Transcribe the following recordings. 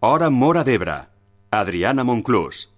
Hora Móra d'Ebre. Adriana Monclús.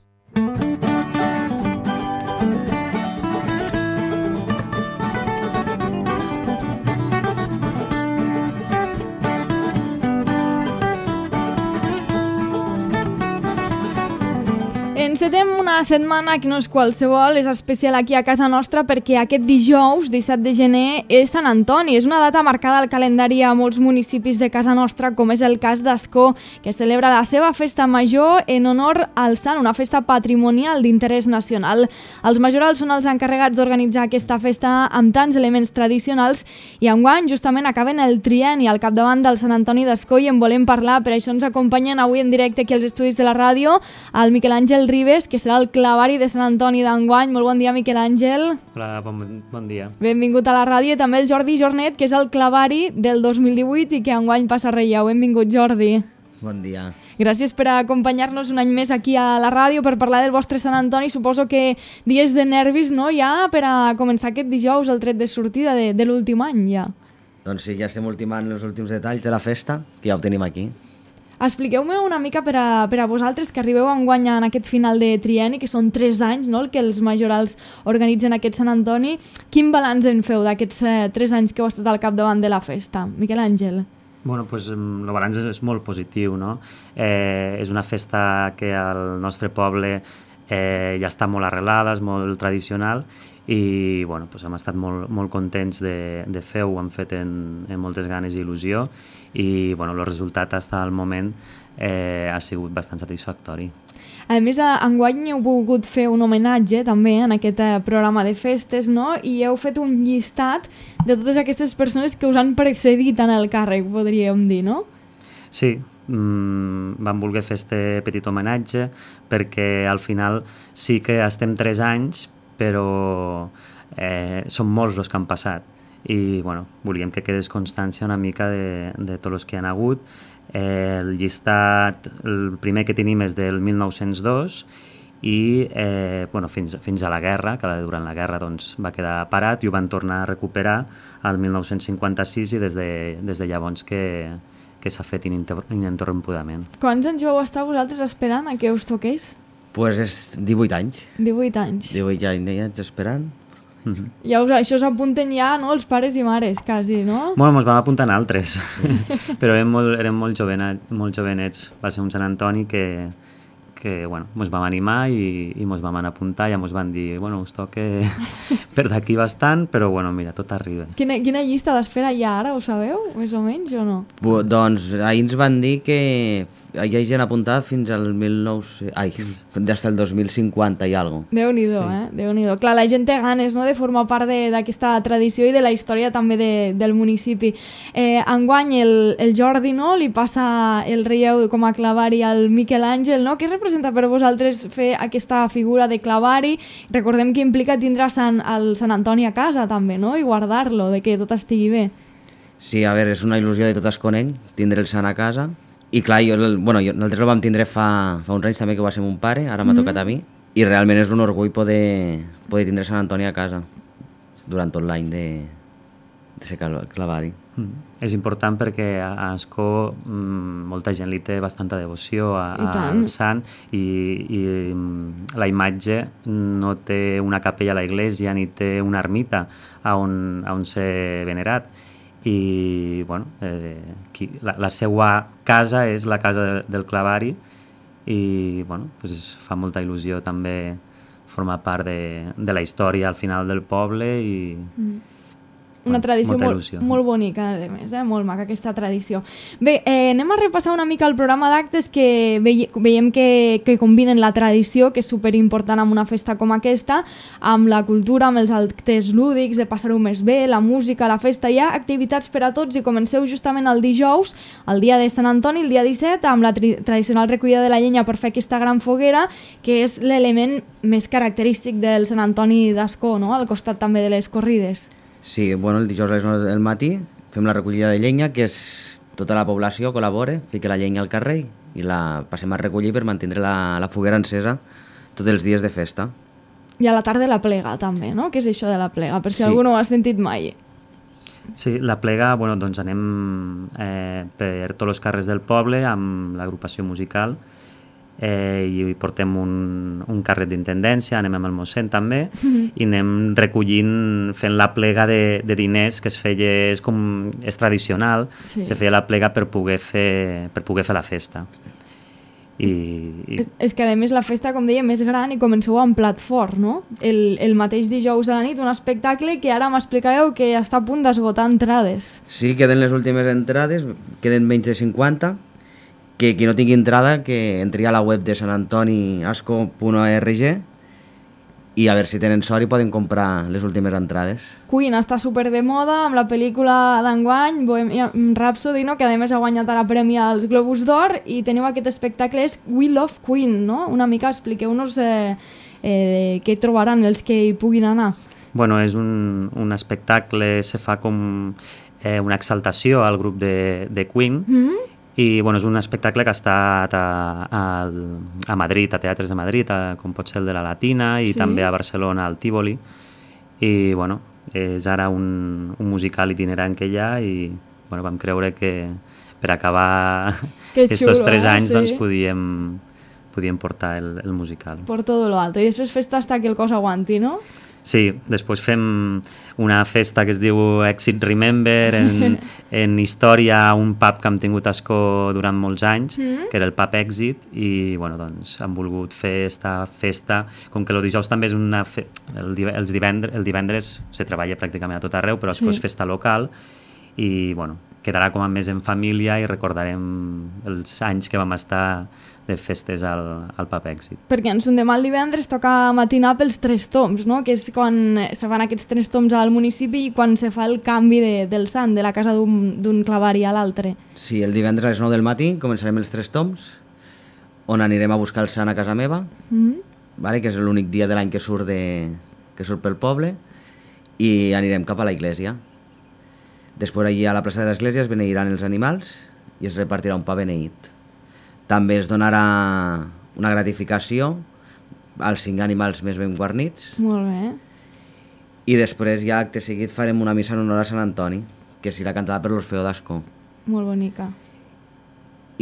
Encetem una setmana que no és qualsevol, és especial aquí a casa nostra perquè aquest dijous, 17 de gener, és Sant Antoni. És una data marcada al calendari a molts municipis de casa nostra, com és el cas d'Ascó, que celebra la seva festa major en honor al sant, una festa patrimonial d'interès nacional. Els majorals són els encarregats d'organitzar aquesta festa amb tants elements tradicionals i enguany justament acaben el trienni al capdavant del Sant Antoni d'Ascó i en volem parlar. Per això ens acompanyen avui en directe aquí als estudis de la ràdio el Miquel Àngel Ribes, que serà el clavari de Sant Antoni d'enguany. Molt bon dia, Miquel Àngel. Hola, bon dia. Benvingut a la ràdio. I també el Jordi Jornet, que és el clavari del 2018 i que enguany passa relleu. Benvingut, Jordi. Bon dia. Gràcies per acompanyar-nos un any més aquí a la ràdio per parlar del vostre Sant Antoni. Suposo que dies de nervis, no?, ja per a començar aquest dijous el tret de sortida de l'últim any, ja. Doncs sí, ja estem ultimant els últims detalls de la festa, que ja ho tenim aquí. Expliqueu-me una mica per a vosaltres que arribeu enguany en aquest final de trienni, que són 3 anys, no?, el que els majorals organitzen aquest Sant Antoni. Quin balanç en feu d'aquests 3 anys que heu estat al capdavant de la festa? Miquel Àngel. Bueno, pues, el balanç és molt positiu, no? És una festa que al nostre poble ja està molt arrelada, és molt tradicional i bueno, pues, hem estat molt contents de fer-ho, ho hem fet amb moltes ganes i il·lusió i bueno, el resultat fins al moment ha sigut bastant satisfactori. A més, enguany heu volgut fer un homenatge també en aquest programa de festes, no? I heu fet un llistat de totes aquestes persones que us han precedit en el càrrec, podríem dir, no? Sí, vam voler fer este petit homenatge perquè al final sí que estem 3 anys, però són molts els que han passat i bueno, volíem que quedés constància una mica de tots els que han hagut. El llistat, el primer que tenim és del 1902 i bueno, fins a la guerra, que durant la guerra doncs, va quedar parat i ho van tornar a recuperar al 1956 i des de llavors que s'ha fet ininterrompudament. Quants anys vau estar vosaltres esperant a que us toqués? Pues és 18 anys. 18 anys. 18 anys esperant. Ja això s'apunten ja, no?, els pares i mares, quasi, no? Bueno, ens vam apuntar en altres, però érem molt jovenets. Va ser un Sant Antoni que bueno, ens vam animar i ens vam anar a apuntar i ens van dir, bueno, us toca per d'aquí bastant, però bueno, mira, tot arriba. Quina llista d'espera hi ha ara, ho sabeu, més o menys, o no? Doncs ahir ens van dir que hi ha gent apuntada fins al des del 2050 i alguna cosa. Déu-n'hi-do, sí. Déu-n'hi-do. Clar, la gent té ganes, no?, de formar part d'aquesta tradició i de la història també del municipi. Enguany el Jordi, no?, li passa el relleu com a clavari al Miquel Àngel, no? Què representa per vosaltres fer aquesta figura de clavari? Recordem que implica tindre el Sant Antoni a casa també, no?, i guardar-lo, de que tot estigui bé. Sí, a veure, és una il·lusió de tot Esconeny, tindre el Sant a casa. I clar, nosaltres el vam tindre fa uns anys també, que va ser mon pare, ara m'ha tocat a mi, i realment és un orgull poder tindre Sant Antoni a casa durant tot l'any de ser clavari. És important perquè a Ascó molta gent li té bastanta devoció al sant i la imatge no té una capella a la iglesia ni té una ermita on ser venerat. I bueno, la seva casa és la casa del clavari i bueno, pues fa molta il·lusió també formar part de la història al final del poble i una tradició molt bonica, a més, molt maca aquesta tradició. Bé, anem a repassar una mica el programa d'actes que veiem que combinen la tradició, que és superimportant amb una festa com aquesta, amb la cultura, amb els actes lúdics, de passar-ho més bé, la música, la festa. Hi ha activitats per a tots i comenceu justament el dijous, el dia de Sant Antoni, el dia 17, amb la tradicional recollida de la llenya per fer aquesta gran foguera, que és l'element més característic del Sant Antoni d'Ascó, no?, al costat també de les corrides. Sí, bueno, el dijous a les 9 del matí fem la recollida de llenya, que és tota la població col·labora, fica la llenya al carrer i la passem a recollir per mantenir la foguera encesa tots els dies de festa. I a la tarda la plega també, no? Què és això de la plega? Per si algú no ho ha sentit mai. Sí, la plega, bueno, doncs anem per tots els carrers del poble amb l'agrupació musical i portem un carret d'intendència, anem amb el mossèn també i anem recollint, fent la plega de diners que es feia, és tradicional, se feia la plega per poder fer la festa. És que a més la festa, com deia, més gran i comenceu amb plat fort, no? El mateix dijous a la nit, un espectacle que ara m'explicàveu que està a punt d'esgotar entrades. Sí, queden les últimes entrades, queden menys de 50, que qui no tingui entrada que entri a la web de sanantoniasco.org i a veure si tenen sort i poden comprar les últimes entrades. Queen està super de moda amb la pel·lícula d'enguany, Bohemian Rhapsody, no? Que a més ha guanyat ara premi als Globus d'Or, i teniu aquest espectacle, és We Love Queen, no? Una mica expliqueu-nos què trobaran els que hi puguin anar. Bueno, és un espectacle, se fa com una exaltació al grup de Queen, i bueno, és un espectacle que ha estat a Madrid, a teatres de Madrid, com pot ser el de la Latina, i també a Barcelona, al Tívoli, i bueno, és ara un musical itinerant que hi ha, i bueno, vam creure que per acabar aquests 3 anys doncs podíem portar el musical. Por todo lo alto, i després festa hasta que el cos aguanti, no? Sí, després fem una festa que es diu Exit Remember, en història a un pub que hem tingut a Ascó durant molts anys, que era el pub Exit, i bueno, doncs hem volgut fer esta festa, com que el dijous també és el divendres se treballa pràcticament a tot arreu, però Ascó és festa local, i bueno, quedarà com a més en família i recordarem els anys que vam estar de festes al pub Èxit. Perquè en son demà el divendres toca matinar pels 3 toms, no? Que és quan se fan aquests 3 toms al municipi i quan se fa el canvi del sant, de la casa d'un clavari a l'altre. Sí, el divendres a les 9 del matí començarem els 3 toms, on anirem a buscar el sant a casa meva, vale? Que és l'únic dia de l'any que surt pel poble, i anirem cap a la iglesia. Després allí a la plaça de l'església es beneiran els animals i es repartirà un pa beneït. També es donarà una gratificació als 5 animals més ben guarnits. Molt bé. I després ja acte seguit farem una missa en honor a Sant Antoni, que serà cantada per l'Orfeó d'Ascó. Molt bonica.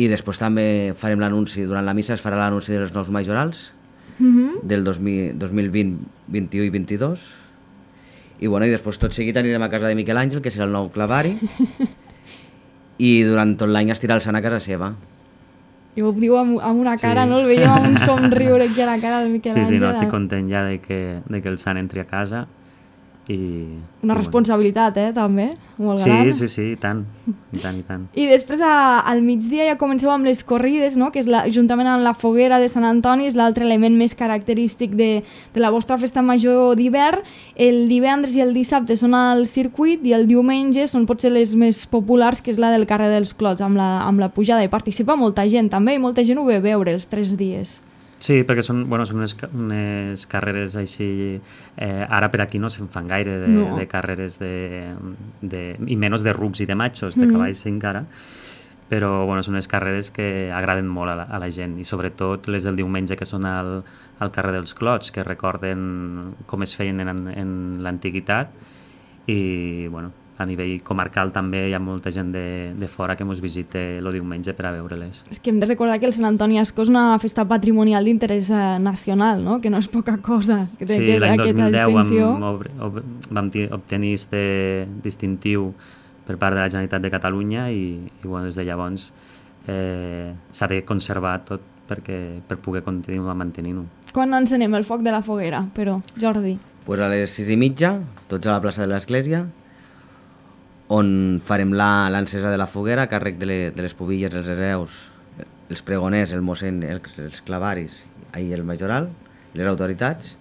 I després també farem l'anunci, durant la missa es farà l'anunci dels nous majorals del 2020, 21 i 22. I bueno, i després tot seguit anirem a casa de Miquel Àngel, que serà el nou clavari, i durant tot l'any es tirarà el sant a casa seva. I ho diu amb una cara, no? El veiem amb un somriure aquí a la cara del Miquel Àngel. Sí, no, estic content ja de que el sant entri a casa. Una responsabilitat, també, molt gran. Sí, i tant. I després al migdia ja comenceu amb les corrides, no? Que és juntament amb la foguera de Sant Antoni, és l'altre element més característic de la vostra festa major d'hivern. El divendres i el dissabte són al circuit i el diumenge són potser les més populars, que és la del carrer dels Clots, amb la pujada. I participa molta gent també, i molta gent ho ve a veure els 3 dies. Sí, perquè són unes carreres així... ara per aquí no se'n fan gaire de carreres i menys de rucs i de machos, de cavalls encara, però són unes carreres que agraden molt a la gent, i sobretot les del diumenge, que són al carrer dels Clots, que recorden com es feien en l'antiguitat, i a nivell comarcal també hi ha molta gent de fora que ens visita el diumenge per a veure-les. És que hem de recordar que el Sant Antoni Ascó és una festa patrimonial d'interès nacional, no? Que no és poca cosa. Sí, l'any 2010 vam obtenir este distintiu per part de la Generalitat de Catalunya i des de llavors s'ha de conservar tot per poder continuar mantenint-ho. Quan encenem el foc de la foguera, però, Jordi? Pues a les 6:30, tots a la plaça de l'església, on farem l'encesa de la foguera a càrrec de les pubilles, els hereus, els pregoners, el mossèn, els clavaris i el majoral, les autoritats.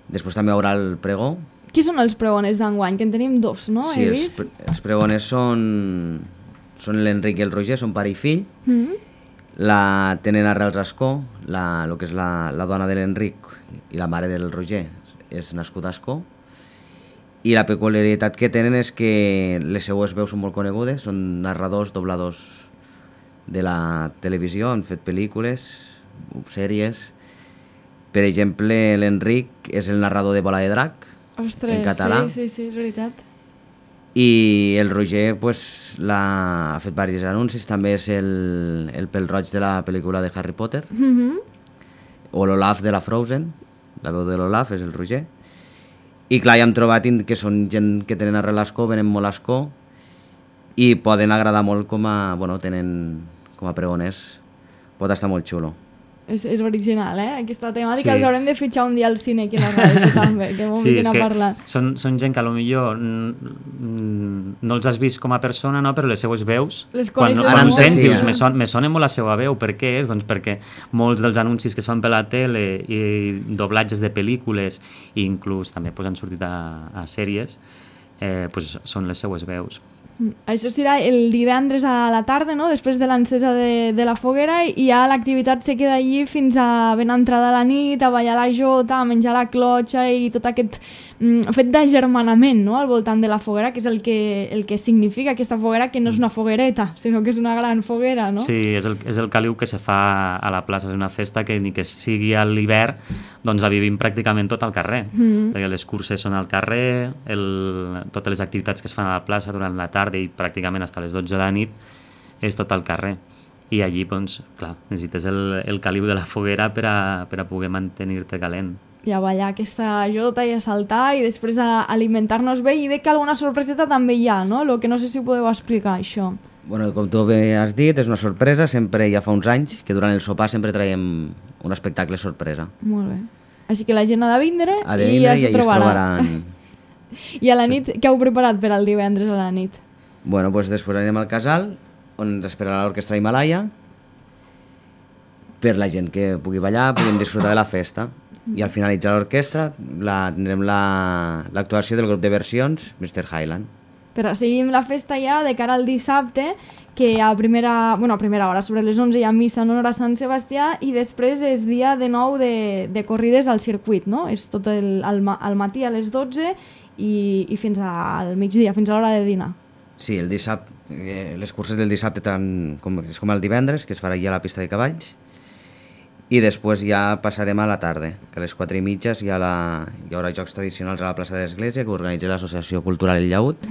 Després també hi haurà el pregó. Qui són els pregoners d'enguany? Que en tenim 2, no? Sí, els pregoners són l'Enric i el Roger, són pare i fill. La tenen Arrels Ascó, el que és la dona de l'Enric i la mare del Roger és nascuda a Ascó. I la peculiaritat que tenen és que les seues veus són molt conegudes, són narradors, dobladors de la televisió, han fet pel·lícules, sèries. Per exemple, l'Enric és el narrador de Bola de Drac, en català. Sí, és veritat. I el Roger pues, ha fet diversos anuncis, també és el pèl-roig de la pel·lícula de Harry Potter, o l'Olaf de la Frozen, la veu de l'Olaf és el Roger. I clar, ja hem trobat que són gent que tenen arrel a Ascó, venen molt a Ascó, i poden agradar molt tenen com a pregoners. Pot estar molt xulo. És original, aquesta temàtica. Sí. Els haurem de fitxar un dia al cine aquí a la ràdio també, que m'ho vinguin a parlar. Són gent que potser no els has vist com a persona, no? Però les seues veus, quan ho sents, dius, me sona molt la seva veu. Per què és? Doncs perquè molts dels anuncis que es fan per la tele i doblatges de pel·lícules, i inclús també han sortit a sèries, són les seues veus. Això serà el divendres a la tarda, no? Després de l'encesa de la foguera, i ja l'activitat se queda allí fins a ben entrada la nit, a ballar la jota, a menjar la clotxa i tot aquest fet d'agermanament, no? Al voltant de la foguera, que és el que significa aquesta foguera, que no és una foguereta, sinó que és una gran foguera, no? Sí, és el caliu que se fa a la plaça. És una festa que ni que sigui a l'hivern, doncs la vivim pràcticament tot al carrer, perquè les curses són al carrer, totes les activitats que es fan a la plaça durant la tarda i pràcticament fins a les 12 de la nit és tot al carrer. I allí, doncs, clar, necessites el caliu de la foguera per a poder mantenir-te calent. I a ballar aquesta jota i a saltar i després a alimentar-nos bé, i veig que alguna sorpreseta també hi ha, no? Lo que no sé si podeu explicar, això. Bueno, com tu bé has dit, és una sorpresa. Sempre ja fa uns anys que durant el sopar sempre traiem un espectacle sorpresa. Molt bé. Així que la gent ha de vindre i ja s'hi trobaran. I a la nit, què heu preparat per al divendres a la nit? Bueno, doncs després anirem al casal, on ens esperarà l'orquestra Himalaya, per la gent que pugui ballar, puguin disfrutar de la festa. I al finalitzar l'orquestra tindrem l'actuació del grup de versions Mr. Highland. Però seguim la festa ja de cara al dissabte, que a primera hora, sobre les 11 hi ha missa en honor a Sant Sebastià, i després és dia de nou de corrides al circuit, no? És tot al matí a les 12 i fins al migdia, fins a l'hora de dinar. Sí, el dissabte, les curses del dissabte és com el divendres, que es farà allà a la pista de cavalls, i després ja passarem a la tarda, que a les 4:30 hi haurà jocs tradicionals a la plaça de l'Església, que organitza l'Associació Cultural El Llaüt,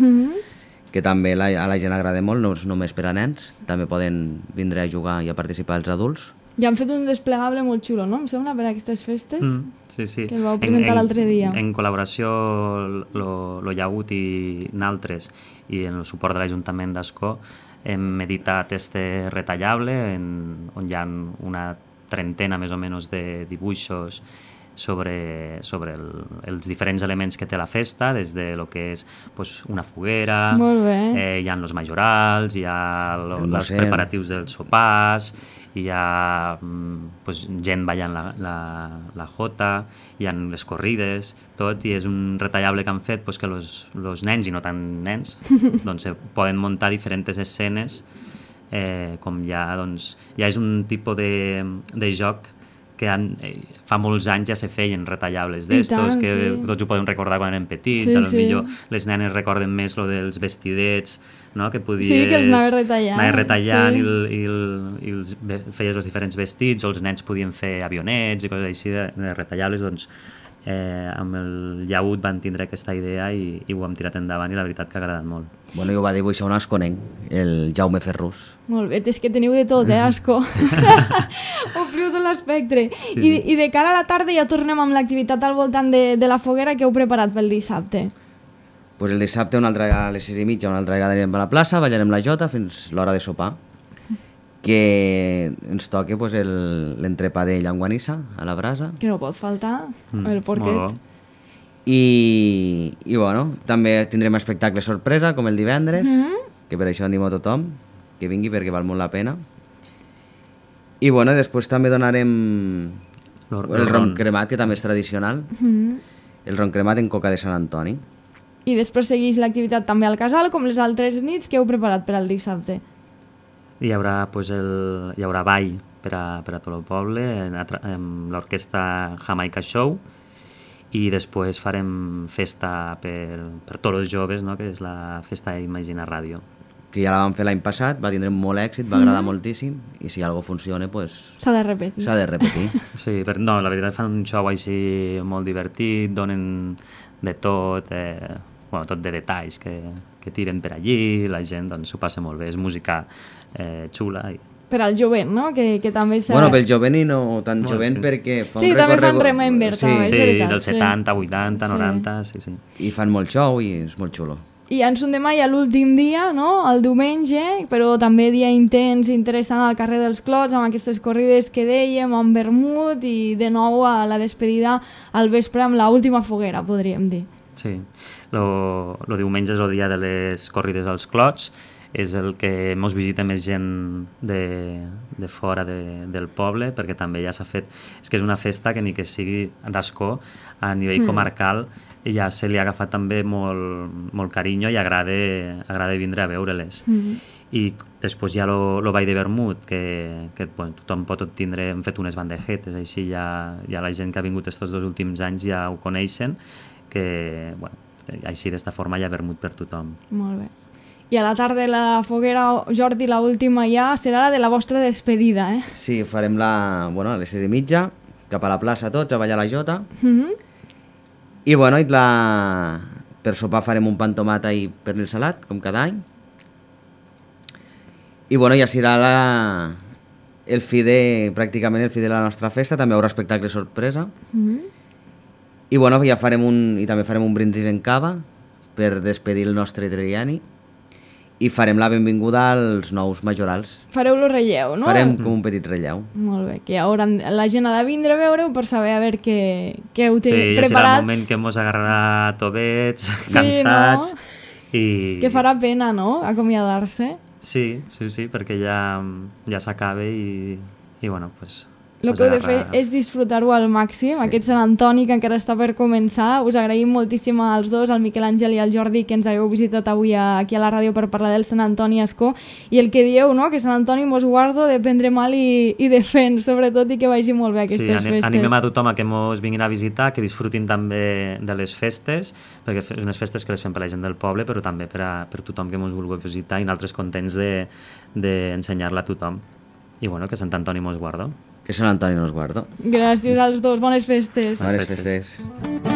que també a la gent agrada molt, no és només per a nens, també poden vindre a jugar i a participar els adults. Ja han fet un desplegable molt xulo, no? Em sembla, per a aquestes festes, sí. Que el vau presentar l'altre dia. En col·laboració lo Llaüt i naltres, i en el suport de l'Ajuntament d'Ascó, hem editat este retallable on hi ha una trentena més o menys de dibuixos sobre els diferents elements que té la festa, des de lo que és una foguera, hi ha els majorals, hi ha els preparatius dels sopars, hi ha gent ballant la jota, hi ha les corrides, tot, i és un retallable que han fet que els nens, i no tant nens, doncs poden muntar diferents escenes, com ja és un tipus de joc que fa molts anys ja se feien retallables d'estos, que tots ho podem recordar quan érem petits, potser les nenes recorden més lo dels vestidets, que podies que els anaves retallant i feies els diferents vestits, o els nens podien fer avionets i coses així de retallables. Doncs amb el Llaüt van tindre aquesta idea i ho hem tirat endavant, i la veritat que ha agradat molt. Bueno, i ho va dibuixar un asconenc, el Jaume Ferrús. Molt bé, és que teniu de tot, Ascó? Ompliu tot l'espectre. I de cara a la tarda ja tornem amb l'activitat al voltant de la foguera que heu preparat pel dissabte. Pues el dissabte, a les 6:30, una altra vegada anirem a la plaça, ballarem la jota fins l'hora de sopar, que ens toca l'entrepà de llanguanissa a la brasa. Que no pot faltar, el porquet. I també tindrem espectacle sorpresa, com el divendres, que per això animo a tothom que vingui, perquè val molt la pena. I després també donarem el ron cremat, que també és tradicional, el ron cremat en coca de Sant Antoni. I després segueix l'activitat també al casal, com les altres nits que heu preparat per al dissabte. Hi haurà ball per a tot el poble, amb l'orquestra Jamaica Show, i després farem festa per tots els joves, que és la festa Imagina Ràdio. Que ja la vam fer l'any passat, va tindre molt èxit, va agradar moltíssim, i si alguna cosa funciona, s'ha de repetir. Sí, però la veritat fan un show així molt divertit, donen de tot, tot de detalls que que tiren per allí, la gent doncs, s'ho passa molt bé, és música xula. Per al jovent, no? Que també s'ha... Bueno, pel jovent i no tan jovent perquè fa un Sí, també fan recorregut... Remember, també, és Sí, veritat. dels 70, 80, 90, sí. I fan molt show i és molt xulo. I en Son de Mai a l'últim dia, no? El diumenge, però també dia intens, interessant al carrer dels Clots, amb aquestes corrides que dèiem, amb vermut i de nou a la despedida al vespre amb l'última foguera, podríem dir. Sí, lo diumenge és el dia de les corrides als Clots, és el que mos visita més gent de fora del poble, perquè també ja s'ha fet... És que és una festa que ni que sigui d'Ascó, a nivell comarcal, ja se li ha agafat també molt carinyo i agrada vindre a veure-les. I després hi ha lo Ball de Vermut, que bueno, tothom pot obtindre, hem fet unes bandejetes, així ja la gent que ha vingut estos 2 últims anys ja ho coneixen, que bueno, així d'esta forma hi ha vermut per tothom. Molt bé. I a la tarda la foguera, Jordi, la última ja, serà la de la vostra despedida, eh? Sí, farem a les 6:30, cap a la plaça tots, a ballar la jota. I bueno, per sopar farem un pa amb tomata i pernil salat, com cada any. I bueno, ja serà pràcticament el fi de la nostra festa, també hi haurà espectacle sorpresa. I bueno, ja també farem un brindis en cava per despedir el nostre Triani. I farem la benvinguda als nous majorals. Fareu lo relleu, no? Farem com un petit relleu. Molt bé, que la gent ha de vindre a veure-ho per saber a veure què heu preparat. Sí, ja serà el moment que mos agarrarà tobets, cansats... No? I... Que farà pena, no?, acomiadar-se. Sí, perquè ja s'acaba i bueno, pues... El que heu de fer és disfrutar-ho al màxim. Aquest Sant Antoni que encara està per començar. Us agraïm moltíssim als dos, al Miquel Àngel i al Jordi, que ens hagueu visitat avui aquí a la ràdio per parlar del Sant Antoni a Ascó. I el que dieu, no?, que Sant Antoni mos guardo de prendre mal i de fent, sobretot, i que vagi molt bé aquestes festes. Sí, animem a tothom a que mos vinguin a visitar, que disfrutin també de les festes, perquè és unes festes que les fem per la gent del poble, però també per tothom que mos vulgui visitar, i nosaltres contents d'ensenyar-la a tothom. I bueno, que Sant Antoni mos guardo. Que Sant Antoni nos guardo. Gràcies als dos, bones festes. Bones festes.